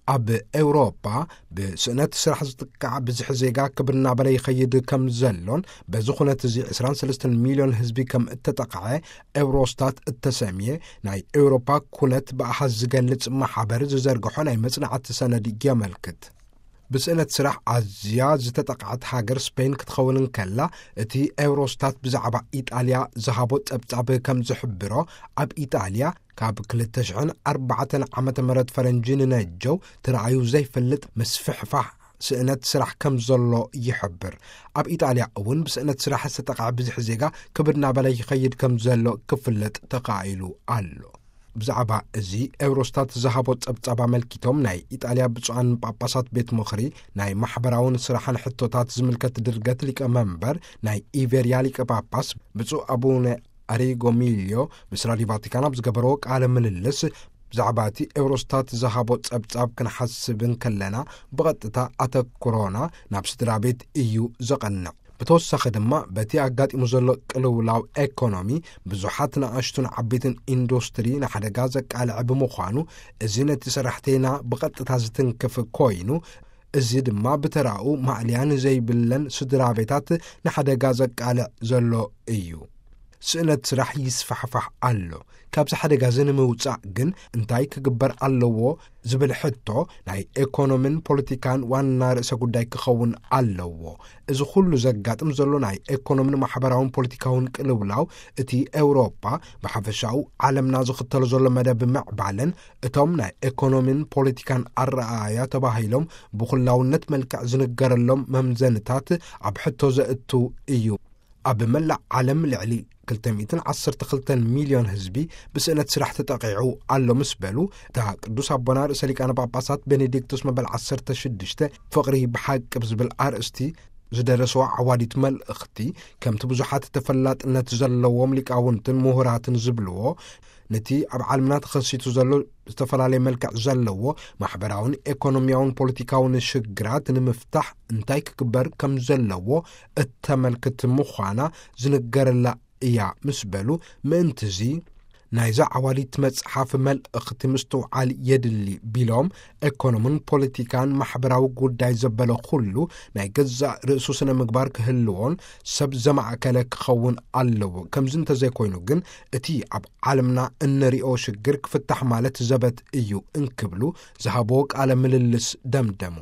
ኣብ ኤውሮጳ ብስእነት ስራሕ ዝጥቃዕ ብዝሒ ዜጋ ክብር እናበለ ይኸይድ ከም ዘሎን፣ በዚ ኩነት እዚ ዕስራን ሰለስተን ሚልዮን ህዝቢ ከም እተጠቕዐ ኤውሮስታት እተሰምየ ናይ ኤውሮፓ ኩነት ብኣሃዝ ዝገልጽ ማሕበር ዝዘርግሖ ናይ መጽናዕቲ ሰነድ የመልክት። ብስእነት ስራሕ ኣዝያ ዝተጠቕዐት ሃገር ስፔን ክትኸውን እንከላ፣ እቲ ኤውሮስታት ብዛዕባ ኢጣልያ ዝሃቦ ጸብጻብ ከም ዝሕብሮ፣ ኣብ ኢጣልያ ካብ ክልተ ሽሕን ኣርባዕተን ዓመተ ምህረት ፈረንጂ ንነጀው ተራእዩ ዘይፈልጥ ምስፍሕፋሕ ስእነት ስራሕ ከም ዘሎ ይሕብር። ኣብ ኢጣልያ እውን ብስእነት ስራሕ ዝተጠቕዐ ብዝሒ ዜጋ ክብድ እናበለ ይኸይድ ከም ዘሎ ክፍለጥ ተኻኢሉ ኣሎ። ብዛዕባ እዚ ኤውሮስታት ዝሃቦ ጸብጻብ ኣመልኪቶም፣ ናይ ኢጣልያ ብፁዓን ጳጳሳት ቤት ምኽሪ ናይ ማሕበራውን ስራሕን ሕቶታት ዝምልከት ድርገት ሊቀ መንበር ናይ ኢቬርያ ሊቀ ጳጳስ ብፁዕ ኣቡነ ኣሪጎ ሚልዮ ምስ ራዲዮ ቫቲካን ኣብ ዝገበርዎ ቃለ ምልልስ፣ ብዛዕባ እቲ ኤውሮስታት ዝሃቦ ጸብጻብ ክንሓስብ እንከለና፣ ብቐጥታ ኣተኩሮና ናብ ስድራ ቤት እዩ ዘቐንዕ። ብተወሳኺ ድማ፣ በቲ ኣጋጢሙ ዘሎ ቅልውላው ኤኮኖሚ፣ ብዙሓት ንኣሽቱን ዓበይትን ኢንዱስትሪ ንሓደጋ ዘቃልዐ ብምዃኑ፣ እዚ ነቲ ሰራሕተይና ብቐጥታ ዝትንክፍ ኮይኑ፣ እዚ ድማ ብተራኡ ማእለያ ንዘይብለን ስድራ ቤታት ንሓደጋ ዘቃልዕ ዘሎ እዩ። ስእነት ስራሕ ይስፋሕፋሕ ኣሎ። ካብዚ ሓደጋ እዚ ንምውጻእ ግን እንታይ ክግበር ኣለዎ ዝብል ሕቶ ናይ ኤኮኖምን ፖለቲካን ዋና ርእሰ ጉዳይ ክኸውን ኣለዎ። እዚ ኩሉ ዘጋጥም ዘሎ ናይ ኤኮኖምን ማሕበራውን ፖለቲካውን ቅልውላው፣ እቲ ኤውሮጳ ብሓፈሻኡ ዓለምና ዝኽተሎ ዘሎ መደብ ምዕባለን፣ እቶም ናይ ኤኮኖምን ፖለቲካን ኣረኣእያ ተባሂሎም ብኹላውነት መልክዕ ዝንገረሎም መምዘንታት ኣብ ሕቶ ዘእቱ እዩ። ኣብ መላእ ዓለም ልዕሊ ክልተ ሚእትን ዓሰርተ ክልተን ሚልዮን ህዝቢ ብስእነት ስራሕ ተጠቒዑ ኣሎ ምስ በሉ፣ እታ ቅዱስ ኣቦና ርእሰ ሊቃነ ጳጳሳት ቤኔዲክቶስ መበል ዓሰርተ ሽዱሽተ ፍቕሪ ብሓቂ ብዝብል ኣርእስቲ ዝደረስዋ ዓዋዲት መልእኽቲ፣ ከምቲ ብዙሓት ተፈላጥነት ዘለዎም ሊቃውንትን ምሁራትን ዝብልዎ፣ ነቲ ኣብ ዓለምና ተኸሲቱ ዘሎ ዝተፈላለየ መልክዕ ዘለዎ ማሕበራውን ኤኮኖሚያውን ፖለቲካውን ሽግራት ንምፍታሕ እንታይ ክግበር ከም ዘለዎ እተመልክት ምዃና ዝንገረላ እያ ምስ በሉ፣ ምእንትዚ ናይዛ ዓዋዲት መጽሓፍ መልእኽቲ ምስትውዓል የድሊ ቢሎም፣ ኤኮኖምን ፖለቲካን ማሕበራዊ ጉዳይ ዘበለ ኩሉ ናይ ገዛእ ርእሱ ስነ ምግባር ክህልዎን ሰብ ዘማእከለ ክኸውን ኣለዎ። ከምዚ እንተዘይኮይኑ ግን፣ እቲ ኣብ ዓለምና እንሪኦ ሽግር ክፍታሕ ማለት ዘበት እዩ እንክብሉ ዝሃብዎ ቃለ ምልልስ ደምደሙ።